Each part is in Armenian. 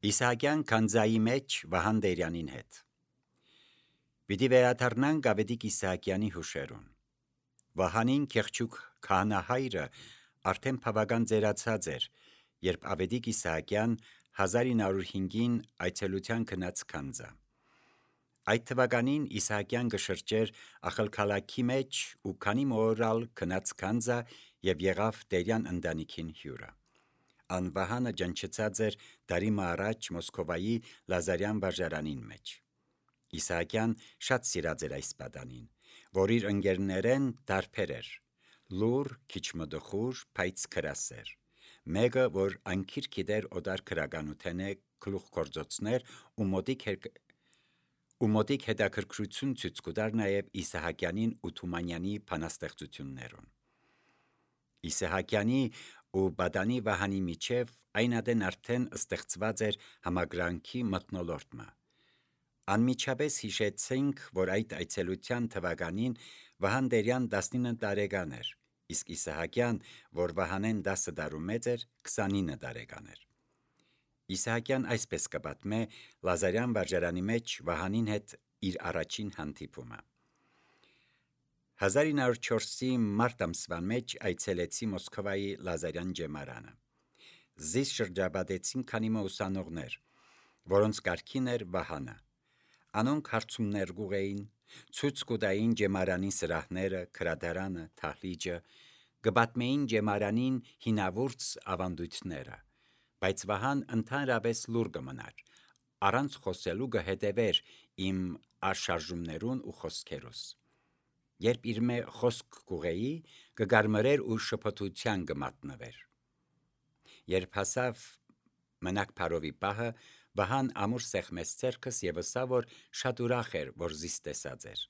Իսահակյան քանձայի մեջ Վահան Տերյանին հետ։ Պիտի վերադառնանք Ավետիք Իսահակյանի հուշերուն։ Վահանին Քեղչուկ քահանահայրը արդեն բավական ծերացած էր, երբ Ավետիք Իսահակյան 1905-ին այցելության գնաց քանձա։ Այդ թվականին Իսահակյան կշրջեր ախալքալաքի մեջ ու քանի մոռալ գնաց քանձա եւ եղավ Տերյան ընտանիքին հյուրը։ Ան Վահանը ջնջեցած էր դարիմը առաջ Մոսկովայի Լազարյան վարժարանին մեջ։ Իսահակյան շատ սիրած էր այս պատանին, որ իր ընկերներեն դարբեր էր, լուր, քիչ մտխուր, բայց քրասեր։ Մեկը, որ անքիր գիտեր օտար քրականութենե գլուխգործոցներ ու մոտիկ հետաքրքրություն ցույց կտար նաև Իսահակյանին ու Թումանյանի բանաստեղծություններուն։ Իսահակյանի ու պատանի Վահանի միջև այն ադեն արդեն ստեղծված էր համագրանքի մթնոլորտը։ Անմիջապես հիշեցինք, որ այդ այցելության թվականին Վահան Տերյան 19 տարեկան էր, իսկ Իսահակյան, որ Վահանեն 10 տարու մեծ էր, 29 տարեկան էր։ Իսահակյան այսպես կպատմե Լազարյան վարժարանի մեջ Վահանին հետ իր առաջին հանդիպումը։ 1904-ի մարտ ամսվան մեջ այցելեցի Մոսկովայի Լազարյան ջեմարանը։ Զիս շրջապատեցին քանի ուսանողներ, որոնց կարգին էր Վահանը։ Անոնք հարցումներ կուղեին, ցույց կտային ջեմարանի սրահները, գրադարանը, դահլիճը, կպատմեին ջեմարանին հինավուրց ավանդույթները, բայց Վահան ընդհանրապես լուր կմնար, առանց խոսելու կհետևեր իմ աշարժումներուն ու խոսքերուս։ Երբ իր մե խոսք կուղեի, կգարմրեր ու շփոթության կմատնվեր։ Երբ հասավ մնակ Փարովի պահը, Վահան ամուր սեղմեց ձեռքս եւ ասա, որ շատ ուրախ էր, որ զիս տեսած էր։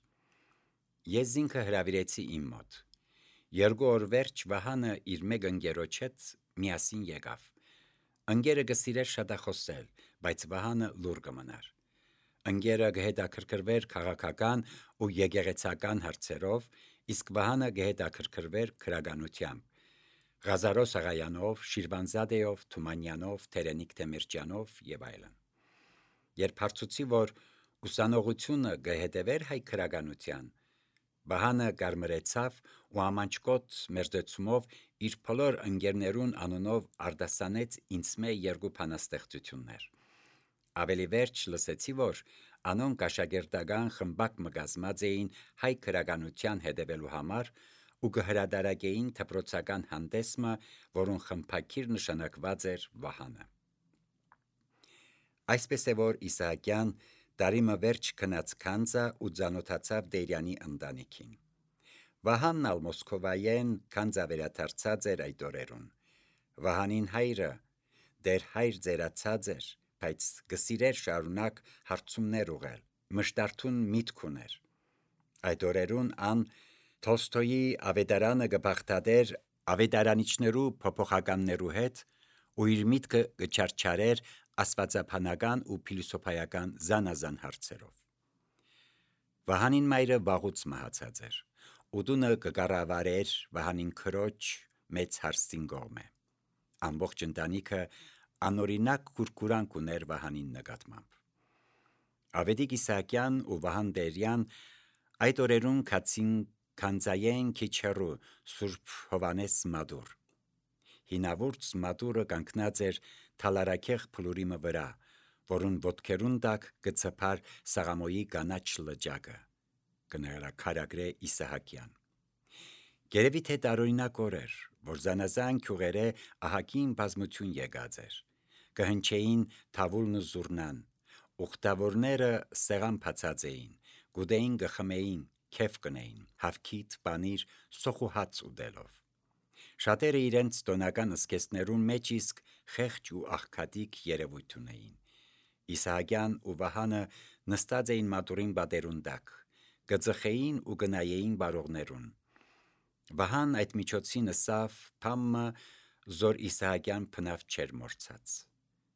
Ես ինքը հրավիրեցի իմ մոտ։ 2 օր վերջ Վահանը իր մեկ ընկերոջ հետ միասին եկավ։ Ընկերը կսիրեր շատախոսել, բայց Վահանը լուր կմնար։ Ընկերը կհետաքրքրվեր քաղաքական ու եկեղեցական հարցերով, իսկ Վահանը կհետաքրքրվեր գրականությամբ, Ղազարո Սաղայանով, Շիրվանզադեով, Թումանյանով, Թերենիկ Թեմիրճյանով եւ այլն։ Երբ հարցուցի, որ ուսանողությունը կհետևեր հայ գրականության, Վահանը կարմրեցավ ու ամանչկոտ մերձեցումով իր բոլոր ընկերներուն անունով արտասանեց ինձ մե 2 բանաստեղծություններ։ Ավելի վերջ լսեցի, որ անոնք աշակերտական խմբակ մգազմած էին հայ գրականության հետևելու համար ու կհրադարակեին դպրոցական հանդեսմը, որուն խմբակիր նշանակված էր Վահանը։ Այսպես է, որ Իսահակյան տարիմը վերջ գնաց քանձա ու ծանոթացավ Տերյանի ընտանիքին։ Վահանն ալ Մոսկովայեն քանձա վերադարձած էր այդ օրերուն։ Վահանին հայրը դեր հայր ծերացած էր, բայց կսիրեր շարունակ հարցումներ ուղղել, մշտարթուն միտք ուներ։ Այդ օրերուն ան Թոլստոյի ավետարանը կբաղթադեր ավետարանիչներու փոփոխականներու հետ ու իր միտքը կչարչարեր աստվածաբանական ու փիլիսոփայական զանազան հարցերով։ Վահանին մայրը վաղուց մահացած էր, ու տունը կկառավարեր Վահանին քրոջ մեծ հարստին կողմը։ Ամբողջ ընտանիքը անօրինակ կուրկուրանք ուներ Վահանին նկատմամբ։ Ավետիք Իսահակյան ու Վահան Տերյան այդ օրերուն կացին քանձայեն քիչ հեռու Սուրբ Հովանես մադուր։ Հինավուրց մադուրը կանգնած էր թալարակեղ փլուրիմը վրա, որուն ոտքերուն տակ կցփար Սաղամոյի կանաչ լճակը, կնրաքարագրե Իսահակյան։ Գերևի թե տարօրինակ օր էր, որ զանազան քյուղերե ահագին բազմություն եկած էր, կհնչեին թավուլն ու զուռնան, ուխտավորները սեղան բացած էին, գուդեին կխմեին, քեֆ կնեին, հավքիթ, պանիր, սոխ ու հաց ուտելով։ Շատերը իրենց տոնական զգեստներուն մեջ իսկ խեղճ ու աղքատիկ երևույթ ունեին։ Իսահակյան ու Վահանը նստած էին մատուրին պատերուն տակ, կծխեին ու կնայեին բարողներուն։ Վահան այդ միջոցին ըսավ փամը, զոր Իսահակյան փնավ չեր մորցած։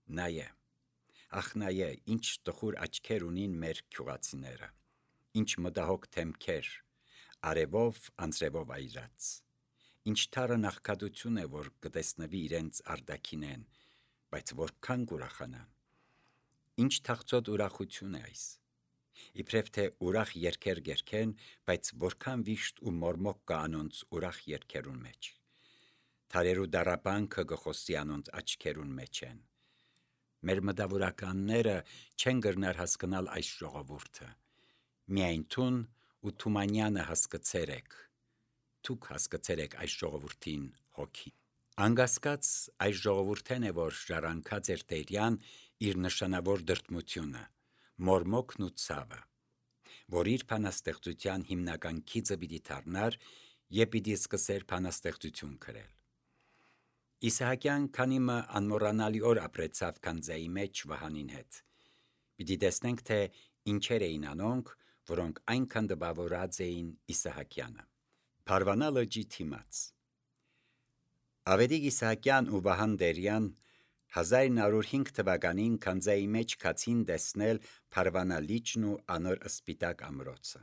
Նայե, ախ նայե, ինչ տխուր աչքեր ունին մեր քյուղացիները, ինչ մտահոգ դեմքեր, արևով անձրևով այրած, ինչ թարն աղքատություն է, որ կտեսնվի իրենց արտաքինեն, բայց որքան կուրախանան։ Ինչ թախծոտ ուրախություն է այս։ Իբրև թե ուրախ երգեր գերքեն, բայց որքան վիշտ ու մորմոք կա անոնց ուրախ երգերուն մեջ։ Թարերու դարապանքը գխոսի անոնց աչքերուն մեջ են։ Մեր մտավորականները չեն գրնար հասկանալ այս ժողովուրդը։ Միայն թուն ու Թումանյանը հասկացեր եք։ Դուք հասկացեր եք այս ժողովրդին հոգի։ Անգասկած այս ժողովուրդն է, որ ժառանգած էր Տերյան իր նշանավոր դրդմությունը, մորմոքն ու ցավը, որ իր բանաստեղծության հիմնական քիծը պիտի դառնար եւ պիտի սկսեր բանաստեղծություն գրել։ Իսահակյան քանի մը անմոռանալի օր ապրեցավ Քանձայի մեջ Վահանին հետ։ Պիտի տեսնենք, թե ինչեր էին անոնք, որոնք այնքան դպավորած էին Իսահակյանը։ Փարվանա լճի թիմաց։ Ավետիք Իսահակյան ու Վահան Տերյան 1905 թվականին Քանձայի մեջ կացին տեսնել Փարվանա լիճն ու անոր սպիտակ ամրոցը։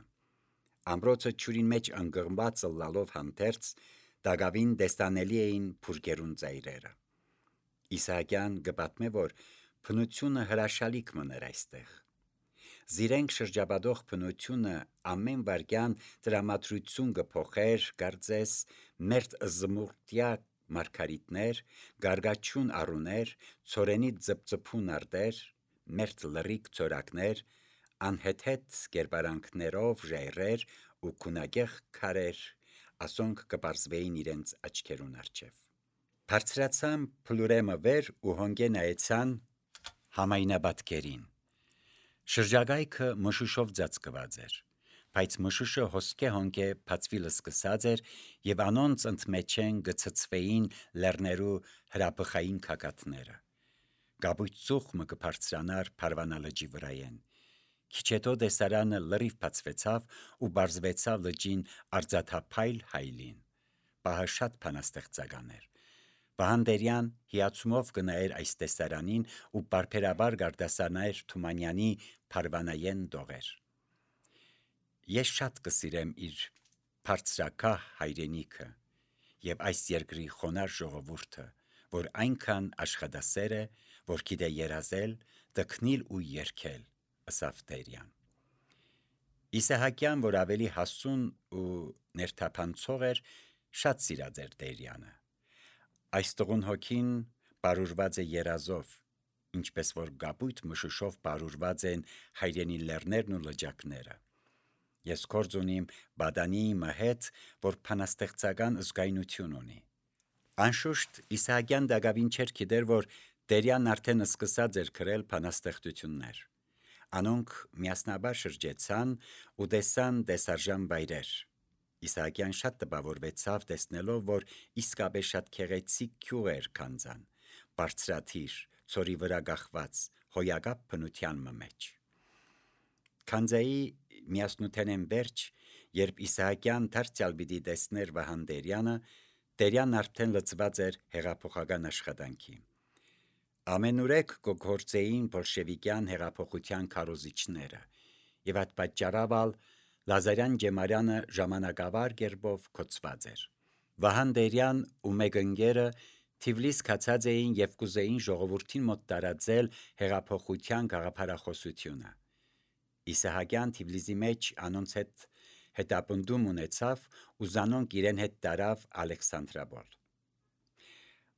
Ամրոցը ջուրին մեջ անգղմված լալով հանդերձ դակավին տեսանելի էին փուրկերուն ծայրերը։ Իսահակյան գպատմե, որ բնությունը հրաշալիք մներ այստեղ։ Զիրենք շրջապատող բնությունը ամեն վարքյան դրամատրություն կփոխեր, կարծես մերթ զմուրտյա մարգարիտներ, գարգաչուն առուներ, ծորենի ծպծփուն արտեր, մերթ լրիկ ծորակներ, անհեթեթ կերպարանքներով ժայռեր ու քունագեղ քարեր, ասոնք կպարզվեին իրենց աչքերուն առջև։ Բարձրացան փլուրեմը վեր ու հոնգե նայեցան համայնաբատկերին։ Շրջագայքը մշուշով ծածկված էր, բայց մշուշը հոսքե հոնգե բացվիլ սկսած էր եւ անոնց ընդմեջեն գծծվեին լեռներու հրաբխային քակաթները։ Գաբույտ ծուխը կբարձրանար Փարվանա լճի վրայեն։ Քիչ հետո տեսարանը լրիվ բացվեցավ ու բարձվեցավ լճին արձաթափայլ հայլին։ Պահը շատ բանաստեղծական էր։ Վահան Տերյան հիացումով կնայեր այս տեսարանին ու բարբերաբար գարտասանայր Թումանյանի Փարվանայեն դողեր։ Ես շատ կսիրեմ իր բարձրակահ հայրենիքը եւ այս երկրի խոնար ժողովուրդը, որ այնքան աշխատասեր է, որ գիտե երազել, տքնիլ ու երգել, ըսավ Տերյան։ Իսահակյան, որ ավելի հասուն ու ներթափանցող էր, շատ սիրած էր Տերյանը։ Այս տղուն հոգին բարուրված է երազով, ինչպես որ գապույտ մշուշով բարուրված են հայրենի լեռներն ու լճակները։ Ես գործ ունիմ Բադանի հետ, որ բանաստեղծական զգայնություն ունի։ Անշուշտ Իսահակյան դակավին չէր գիտեր, որ Տերյանն արդեն սկսած էր գրել բանաստեղծություններ։ Անոնք միասնաբար շրջեցան ու տեսան տեսարժան վայրեր։ Իսահակյան շատ տպավորվեցավ տեսնելով, որ իսկապես շատ քեղեցիկ գյուղ էր Քանձան, բարձրաթիր, ծորի վրա գախված, հոյակապ բնության մեջ։ Քանձայի միասնութենեն վերջ, երբ Իսահակյան դարձյալ պիտի տեսներ Վահան Տերյանը, Տերյանն արդեն լծված էր հեղափոխական աշխատանքի։ Ամենուրեք կգործեին բոլշևիկյան հեղափոխության քարոզիչները, եւ այդ պատճառով Լազարյան Ջեմարյանը ժամանակավար կերպով կոծված էր։ Վահան Տերյան ու մեկ ընկերը Թիֆլիս կացած էին եւ կուզեին ժողովրդին մոտ տարածել հեղափոխության գաղափարախոսությունը։ Իսահակյան Թիֆլիսի մեջ անոնց հետ հետապնդում ունեցավ ու զանոնք իրեն հետ տարավ Ալեքսանդրապոլ։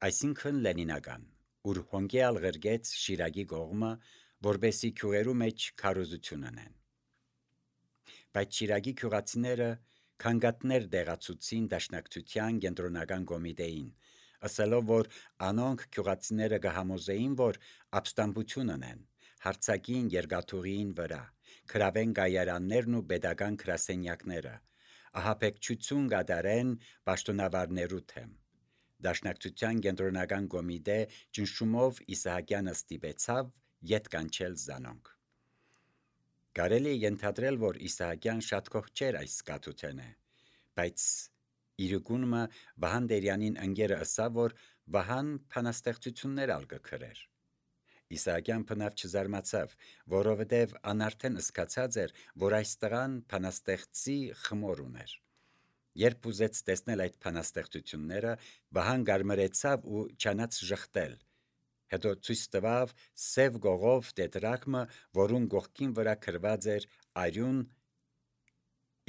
Այսինքն Լենինական, ուր հոնգեալ ղրգեց Շիրակի կողմը, որբեսի քյուղերու մեջ քարոզություն անեն։ Բայց Շիրակի քյուղացիները քանգատներ դեղացուցին դաշնակցության կենտրոնական կոմիտեին, ասելով, որ անոնք քյուղացիները կհամոզեին, որ ապստամբություն ունեն, հարցակին երկաթուղին վրա, քրավեն գայարաններն ու պետական գրասենյակները, ահաբեկչություն կատարեն պաշտոնավարներու թեմ։ Դաշնակցության կենտրոնական կոմիտե ճնշումով Իսահակյանը ստիպեցավ ետ կանչել զանոնք։ Կարելի է ենթադրել, որ Իսահակյան շատ կողջ չէր այս կաթութենը, բայց իրիկունը Վահան Տերյանին ընկերը ըսավ, որ Վահան բանաստեղծություններ ալ կգրեր։ Իսահակյան բնավ չզարմացավ, որովհետև անարդեն սկացած էր, որ այս տղան բանաստեղծի խմոր ուներ։ Երբ ուզեց տեսնել այդ բանաստեղծությունները, Վահան գարմրեցավ ու չանաց ժխտել։ Հետո ցույց տվավ սև գողով տետրակը, որուն գողքին վրա գրված էր արյուն։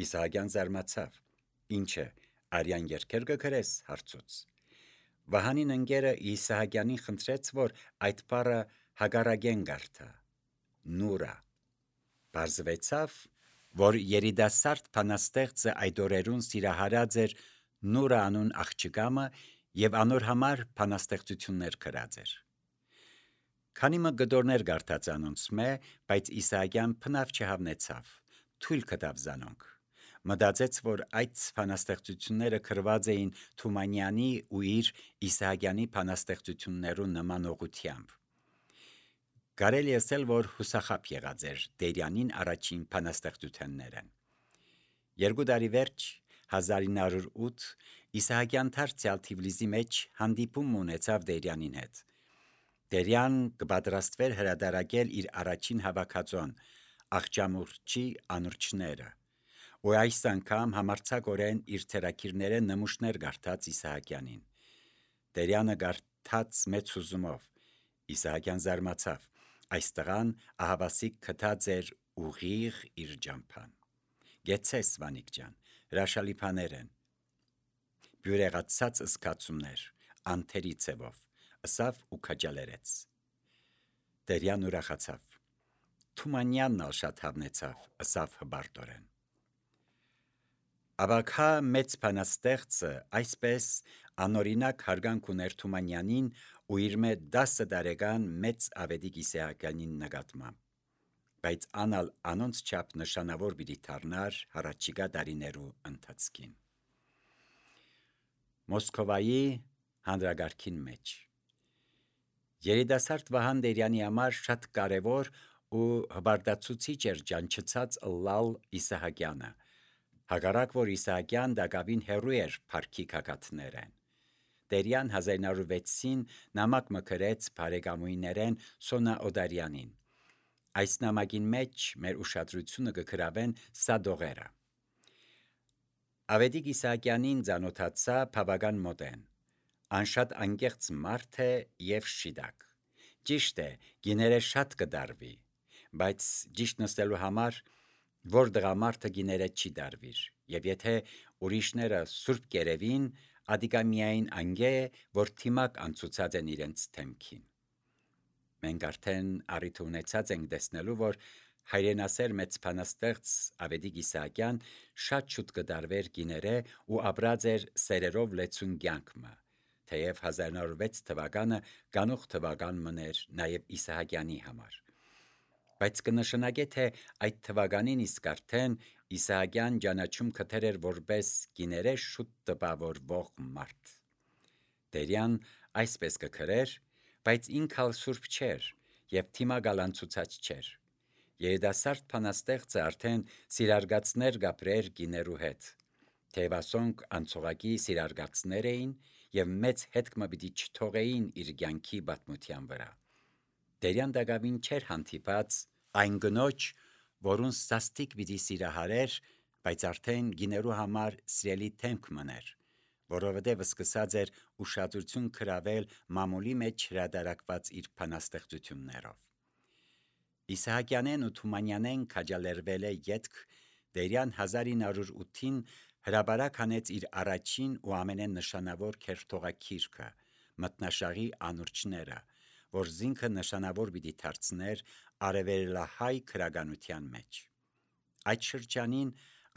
Իսահակյան զարմացավ. «Ինչ է, արյան երգեր կգրես»։ հարցուց։ Վահանին ընկերը Իսահակյանին խնդրեց, որ այդ բառը հագարագեն գարթա. նուրա։ Պարզվեցավ, որ երիտասարդ բանաստեղծը այդ օրերուն սիրահարած էր Նուրա անուն աղջկամը եւ անոր համար բանաստեղծություններ գրած էր։ Քանի մը գդորներ գարթած անոնց մե, բայց Իսահակյան փնավ չհավնեցավ, թույլ կտավ զանոնք։ Մտածեց, որ այդ բանաստեղծությունները գրված էին Թումանյանի ու իր Իսահակյանի բանաստեղծություններու նմանողությամբ։ Կարելի ասել, որ հուսախապ եղած էր Տերյանին առաջին բանաստեղծությունները։ 2 տարի վերջ 1908 Իսահակյան դարձյալ Թիֆլիսի մեջ հանդիպում ունեցավ Տերյանին հետ։ Տերյան կպատրաստվեր հրադարակել իր առաջին հավաքածոն Աղջամուրճի անուրջները, ու այս անգամ համարձակորեն իր թերակիրները նմուշներ գարթած Իսահակյանին։ Տերյանը գարթած մեծ հուզումով, Իսահակյան զարմացավ, այս տղան ահավասիկ գտած էր ուղիղ իր ջամփան։ Գեցես Վանիկ ջան, հրաշալի բաներ են, բյուրեղացած զգացումներ, անթերի ցևով, ըսավ ու քաջալերեց։ Տերյան ուրախացավ։ Թումանյանն ալ շատ հավնեցավ, ըսավ հբարտորեն։ Աբակա մեծ բանաստեղծը այսպես անօրինակ հարգանք ուներ Թումանյանին ու իր մե 10 տարեկան մեծ Ավետիք Իսահակյանին նկատմամբ, բայց անալ անոնց չափ նշանավոր պիտի դառնար հառաջիկա տարիներու ընթացքին։ Մոսկովայի հանրագարքին մեջ երիտասարդ Վահան Տերյանի համար շատ կարևոր ու հբարտացուցիչ էր ջանչացած ըլլալ Իսահակյանը, հակառակ որ Իսահակյան դակավին հեռու էր փառքի գագաթներեն։ Տերյան 1906-ին նամակ մը գրեց բարեկամուհիներեն Սոնա Օդարյանին։ Այս նամակին մեջ մեր ուշադրությունը կգրավեն սադողերը։ Ավետիք Իսահակյանին ծանոթացա բավական մոտեն։ Անշատ անկեղծ մարդ է եւ շիդակ։ Ճիշտ է, գիները շատ կդարվի, բայց ճիշտ նստելու համար որ դղամարդը գիները չի դարվիր, եւ եթե ուրիշները սուրբ կերևին, ադիկա միայն անգե, որ թիմակ անցուցած են իրենց թեմքին։ Մենք արդեն առիթ ունեցած ենք տեսնելու, որ հայրենասեր մեծ բանաստեղծ Ավետիք Իսահակյան շատ շուտ կդարվեր գիները ու ապրած էր սերերով լեցուն կյանքը, թեև 1906 թվականը գանող թվական մներ նաև Իսահակյանի համար։ Բայց կնշանակե, թե այդ թվականին իսկ արդեն Իսահակյան ճանաչում կթեր էր որպես գիները շուտ տպավորվող մարդ։ Տերյան այսպես կգրեր, բայց ինքալ սուրբ չէր եւ թիմակալ անցուցած չէր։ Երիտասարդ բանաստեղծը արդեն սիրարգացներ գապրեր գիներու հետ։ Թեվասոնք անցողակի սիրարգացներ էին եւ մեծ հետք պիտի չթողեին իր կյանքի պատմության վրա։ Տերյան դակավին չէր հանդիպած այն գնոջ, որուն սաստիկ պիտի սիրահարեր, բայց արդեն գիներու համար սիրելի թեմք մներ, որովհետև սկսած էր ուշադրություն գրավել մամուլի մեջ հրադարակված իր բանաստեղծություններով։ Իսահակյանեն ու Թումանյանեն քաջալերվել է ետք Տերյան 1908-ին հրաբարակ հանեց իր առաջին ու ամենանշանավոր քերթողակիրքը Մատնաշաղի անուրջները, որ զինքը նշանավոր պիտի դարձներ արևելահայ քրագանության մեջ։ Այդ շրջանին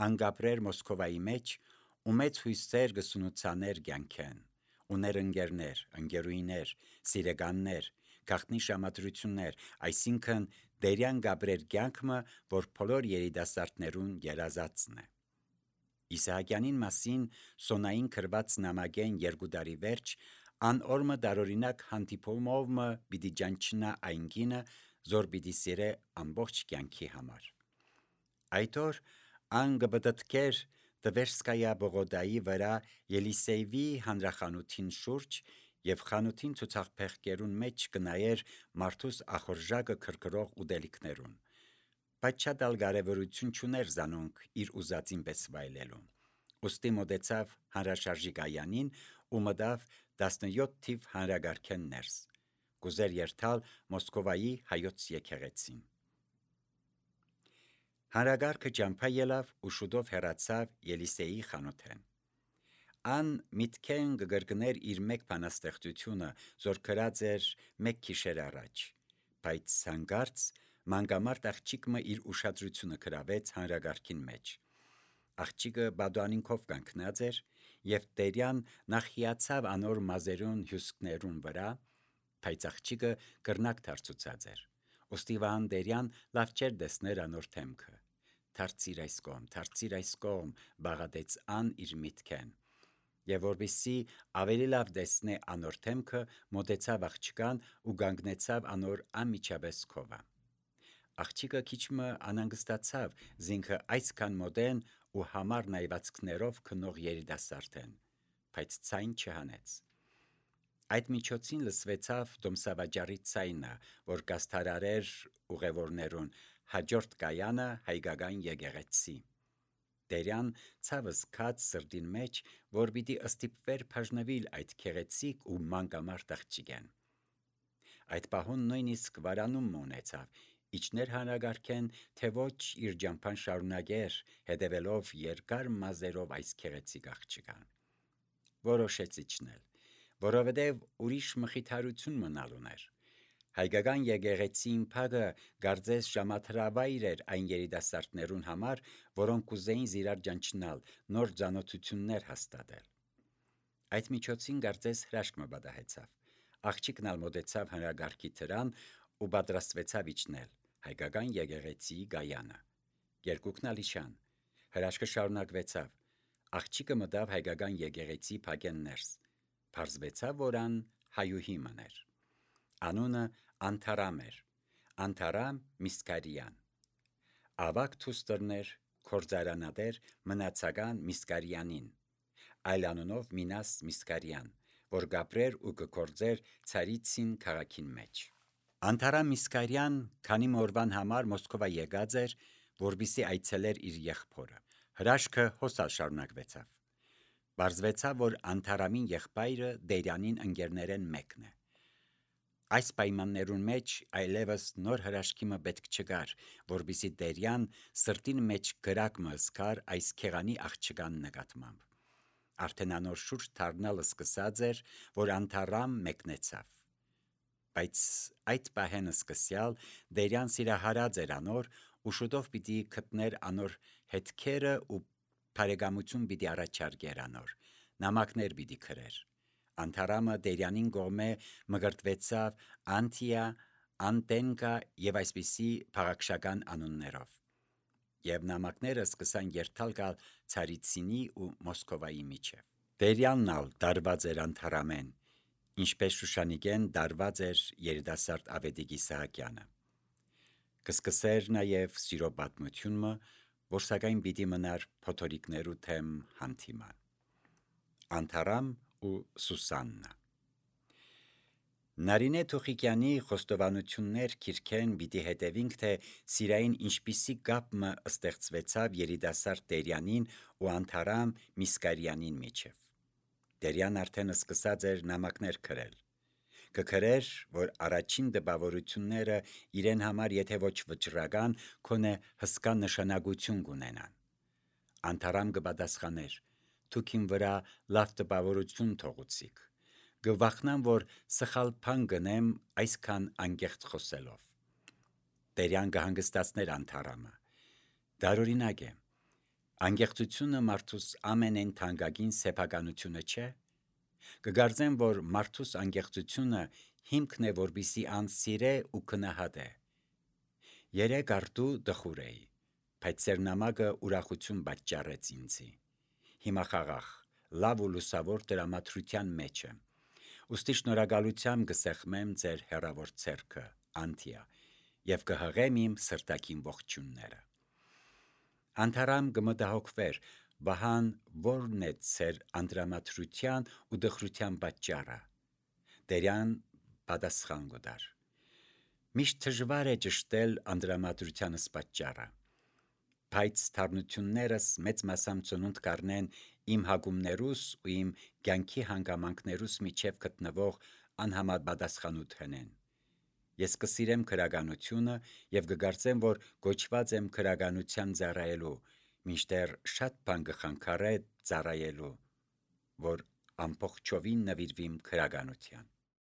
անգապրեր Մոսկովայի մեջ ու մեծ հույսեր կսունուցաներ կյանքեն, ուներ ընկերներ, ընկերուհիներ, սիրեկաններ, գաղտնի ժամադրություններ, այսինքն Տերյան գապրեր կյանքը, որ բոլոր երիտասարդներուն երազածն է։ Իսահակյանին մասին Սոնային գրված նամակեն 2 տարի վերջ անօրմը դարօրինակ հանդիպումով մը պիտի ջանչնա այն գինը, զոր պիտի սիրե ամբողջ կյանքի համար։ Այդ օր ան կպտտկեր Տվերսկայա բողոդայի վրա Ելիսեյվի հանրախանութին շուրջ եւ խանութին ցուցախփեղկերուն մեջ կնայեր մարդուս ախորժակը քրքրող ուտելիքներուն, բայց շատ ալ կարևորություն չուներ զանոնք իր ուզածին պես վայելելու։ Ուստի մոտեցավ հանրաշարժի կայանին ու մտավ 17 թիվ հանրագարքեն ներս, կուզեր երթալ Մոսկովայի հայոց եկեղեցին։ Հանրագարքը ճամփա ելավ ու շուտով հեռացավ Ելիսեի խանութեն։ Ան միտքեն գգրգներ իր մեկ բանաստեղծությունը, զոր գրած էր մեկ գիշեր առաջ, բայց հանգարց մանգամարտ աղջիկը իր ուշադրությունը գրավեց հանրագարքին մեջ։ Աղջիկը բադուանինքով կանգնած էր եւ Տերյան նախ հիացավ անոր մազերուն հյուսկներուն վրա, բայց աղջիկը կրնակ դարձուցած էր։ Ոստի Վահան Տերյան լավ չէր տեսներ անոր թեմքը։ Դարձիր այս կողմ, բաղադեց ան իր միտքեն։ Եվ որպեսզի ավելի լավ տեսնե անոր թեմքը, մոտեցավ աղջկան ու կանգնեցավ անոր անմիջապես քովը։ Աղջիկը քիչմը անհանգստացավ, զինքը այսքան մոդեն ու համար նայվածքներով քնող երիտասարդեն, բայց ցայն չհանեց։ Այդ միջոցին լսվեցավ դոմսավաճառի ցայնը, որ կաստարարեր ուղևորներուն հաջորդ կայանը հայկական եկեղեցի։ Տերյան ցավը զգաց սրտին մեջ, որ պիտի ըստիպվեր բաժնվել այդ քեղեցիկ ու մանկամարտ աղջիկեն։ Այդ պահուն նույնիսկ վարանում ունեցավ, իջներ հանրագարքեն, թե ոչ իր ճամփան շարունակեր, հետևելով երկար մազերով այս քեղեցիկ աղջկան։ Որոշեց իջնել, որովհետև ուրիշ մխիթարություն մնալ ուներ։ Հայկական եկեղեցին փագը գարձես ժամաթրավայր էր այն երիտասարդներուն համար, որոնք կուզեին զիրար ճանչնալ, նոր ծանոթություններ հաստատել։ Այդ միջոցին գարձես հրաշք մը պատահեցավ։ Աղջիկն ալ մոտեցավ հանրագարքի դրան ու պատրաստվեցավ իջնել հայկական եկեղեցի գայանը։ Երկուքն ալ իջան։ Հրաշքը շարունակվեցավ։ Աղջիկը մտավ հայկական եկեղեցի փակեն ներս։ Պարզվեցավ, որ ան հայուհի մներ։ Անունը Անթարամ էր, Անթարամ Միսկարյան։ Ավակ թուստերներ կորձարանադեր մնացական Միսկարյանին, այլ անունով Մինաս Միսկարյան, որ գապրեր ու կկորձեր Ցարիցին քաղաքին մեջ։ Անթարամ Միսկարյան քանի մորվան համար Մոսկովա եկած էր, որպեսզի այցելեր իր եղբորը։ Հրաշքը հոսալ շարունակվեցավ։ Պարզվեցավ, որ Անթարամին եղբայրը Տերյանին ընկերներեն մեկն է։ Այս պայմաններուն մեջ այլևս նոր հրաշքի մը պետք չկար, որպեսզի Տերյան սրտին մեջ գրակ մը զգար այս քեղանի աղջկան նկատմամբ։ Արդեն անոր շուրջ դառնալը սկսած էր, որ Անթարամ մեկնեցավ։ Բայց այդ պահեն սկսյալ Տերյան սիրահարած էր անոր ու շուտով պիտի գտներ անոր հետքերը ու բարեկամություն պիտի առաջարկեր անոր, նամակներ պիտի գրեր։ Անթարամը Տերյանին կողմէ մգրտվեցավ Անտիա, Անտենկա եւ այսպիսի փաղաքշական անուններով։ Եվ նամակները սկսան երթալ գալ Ցարիցինի ու Մոսկովայի միջև։ Տերյանն ալ դարված էր Անթարամեն, ինչպես Շուշանիկեն դարված էր երիտասարդ Ավետիք Իսահակյանը։ Կսկսեր նաև սիրո պատմությունը, որ սակայն պիտի մնար փոթորիկներու թեմ հանդիման։ Անթարամ ու Սուսաննա։ Նարինե Թուխիկյանի խոստովանություններ քիրքեն պիտի հետևինք, թե սիրային ինչպիսի կապ մը ստեղծվեցավ երիտասարդ Տերյանին ու Անթարամ Միսկարյանին միջև։ Տերյան արդեն սկսած էր նամակներ գրել։ Կգրեր, որ առաջին տպավորությունները իրեն համար եթե ոչ վճռական, քոնե հսկա նշանակություն կունենան։ Անթարամ կպատասխաներ. «Դուք իմ վրա լավ տպավորություն թողուցիք։ Կվախնամ, որ սխալ բան գնեմ այսքան անկեղծ խոսելով»։ Տերյան կհանգստացներ Անթարամը։ Դարօրինակ է։ Անկեղծությունը մարդուս ամենեն թանկագին սեփականությունը չէ։ Կգարձեմ, որ մարդուս անկեղծությունը հիմքն է, որպիսի ան սիրե ու գնահատե։ Երեք արդու տխուր էի, բայց ձեր նամակը ուրախություն պատճառեց ինձի։ Հիմա խաղաղ, լավ ու լուսավոր տրամադրության մեջ եմ։ Ուստի շնորհակալությամբ կսեղմեմ ձեր հեռավոր ցերքը, Անտիա, եւ կհղեմ իմ սրտակին ողջունները։ Անթարամ կմտահոգվեր, Վահան որն է ձեր անդրամադրության ու դխրության պատճառը։ Տերյան պատասխան կտար. Միշտ դժվար է ճշտել անդրամադրությանս պատճառը, բայց թարնություններս մեծ մասամբ ծնունդ կառնեն իմ հագումներուս ու իմ կյանքի հանգամանքներուս միջև գտնվող անհամար պատասխանութ հնեն։ Ես կսիրեմ քրագանությունը եւ կգարծեմ, որ գոչված եմ քրագանության ծառայելու, մինչդեռ շատ բան կխանգարե ծառայելու, որ ամբողջովին նվիրվիմ քրագանության։